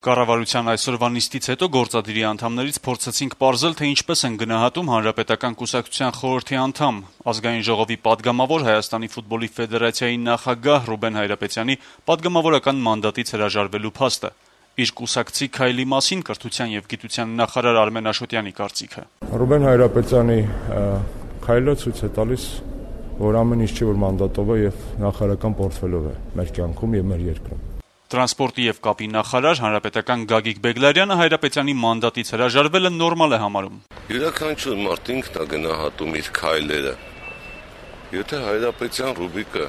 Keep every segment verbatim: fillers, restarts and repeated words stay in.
Կառավարության այսօրվա նիստից հետո գործադիրի անդամներից փորձեցինք պարզել, թե ինչպես են գնահատում Հանրապետական կուսակցության խորհրդի անդամ, Ազգային ժողովի պատգամավոր, Հայաստանի ֆուտբոլի ֆեդերացիայի նախագահ Ռուբեն Հայրապետյանի պատգամավորական մանդատից հրաժարվելու փաստը։ Իր կուսակցի քայլի մասին կրթության եւ գիտության նախարար Արմեն Աշոտյանի կարծիքը. Ռուբեն Հայրապետյանի քայլը ցույց է տալիս, որ ամեն ինչ չի, որ մանդատով է եւ նախարարական պորտֆելով է մեր կյանքում եւ մեր երկրում։ Տրանսպորտի եւ կապի նախարար հանրապետական Գագիկ Բեգլարյանը Հայրապետյանի մանդատից հրաժարվելը նորմալ է համարում։ Յուրաքանչյուր մարդ ինքն է գնահատում իր քայլերը։ Եթե Հայրապետյան Ռուբիկը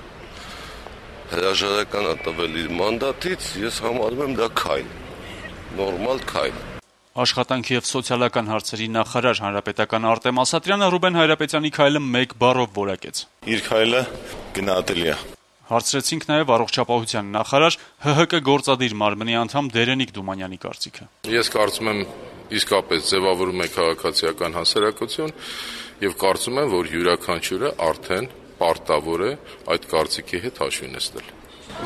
հրաժարական է տվել իր մանդատից, ես համարում եմ դա քայլ, նորմալ քայլ։ Աշխատանքի եւ սոցիալական հարցերի նախարար հանրապետական Արտեմ Ասատրյանը Ռուբեն Հայրապետյանի քայլը մեկ բառով որակեց։ Իր քայլը գնահատելի է։ Հարցրեցինք նաև առողջապահության նախարար Հ Հ Կ գործադիր մարմնի անդամ Դերենիկ Դումանյանի կարծիքը։ Ես կարծում եմ իսկապես ձևավորում է քաղաքացիական հասարակություն եւ կարծում եմ, որ յուրաքանչյուրը արդեն պարտավոր է այդ կարծիքի հետ հաշվի նստել։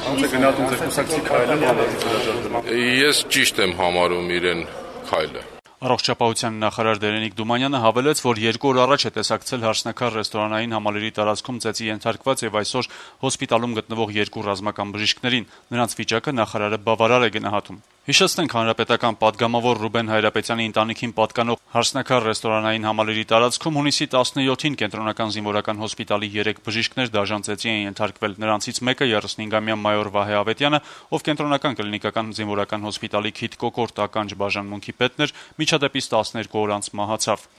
Ոնց է գնահատում ձեր կուսակցի քայլը մանդատից հրաժարվելը։ Ես ճիշտ եմ համարում իրեն քայլը։ Առողջապահության նախարար Դերենիկ Դումանյանը հավելեց, որ երկու օր առաջ է տեսակցել Հարսնաքար ռեստորանային համալիրի տարածքում ծեծի ենթարկված եւ այսօր հոսպիտալում գտնվող երկու ռազմական բժիշկներին։ Նրանց վիճակը նախարարը բավարար է գնահատում։ Հիշեցնենք, հանրապետական պատգամավոր Ռուբեն Հայրապետյանի ընտանիքին պատկանող Հարսնաքար ռեստորանային համալիրի տարածքում հունիսի տասնյոթին կենտրոնական զինվորական հոսպիտալի երեք բժիշկներ դաժան ծեծի են ենթարկվել։ Նրանցից մեկը երեսնհինգամյա մայոր Վահե Ավետյանը, ով կենտրոնական կլինիկական զինվորական հոսպիտալի քիթ-կոկորտ ականջ բաժանմունքի պետն էր, միջադեպից տասներկու օր անց մահացավ։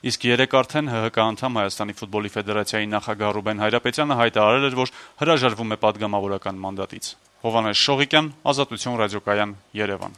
Իսկ երեք արդեն Հ Հ Կ անդամ Հայաստանի ֆուտբոլի ֆեդերացիայի նախագահ Ռուբեն Հայրապետյանը հայտարարել էր, որ հրաժարվում է պատգամավորական մանդատից։ Հովհաննես Շողիկյան, Ազատություն ռադիոկայան, Երևան։